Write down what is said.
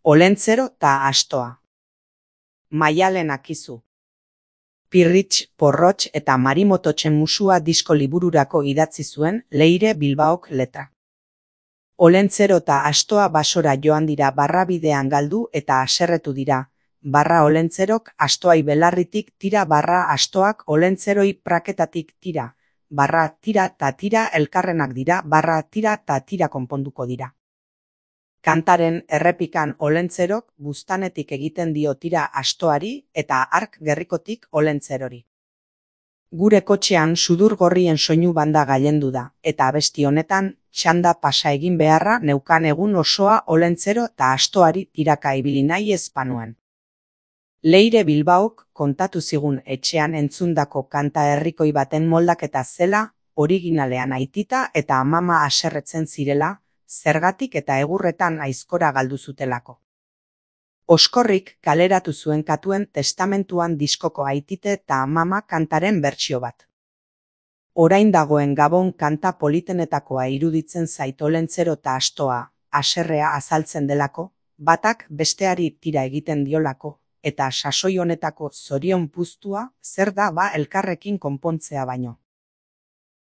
Olentzero ta astoa. Maialen Akizu. Pirritx, Porrotx eta Marimototxen musua disko libururako idatzi zuen Leire Bilbaok letra. Olentzero ta astoa basora joan dira barrabidean galdu eta haserretu dira. Barra olentzerok astoai belarritik tira, barra astoak olentzeroi praketatik tira. Barra tira ta tira elkarrenak dira, barra tira ta tira konponduko dira. Kantaren errepikan olentzerok buztanetik egiten dio tira astoari eta hark gerrikotik olentzerori. Gure kotxean sudur gorrien soinu banda gailendu da, eta abesti honetan txanda pasa egin beharra neukan egun osoa olentzero eta astoari tiraka ibili nahi ez panuen. Leire Bilbaok kontatu zigun etxean entzundako kanta herrikoi baten moldaketa zela, originalean aitita eta amama haserretzen zirela, zergatik eta egurretan aizkora galdu zutelako. Oskorrik kaleratu zuen Katuen testamentuan diskoko aitite eta amama kantaren bertsio bat. Orain dagoen Gabon kanta politenetakoa iruditzen zait olentzero eta astoa, haserrea azaltzen delako, batak besteari tira egiten diolako, eta sasoi honetako zorion puztua zer da ba elkarrekin konpontzea baino.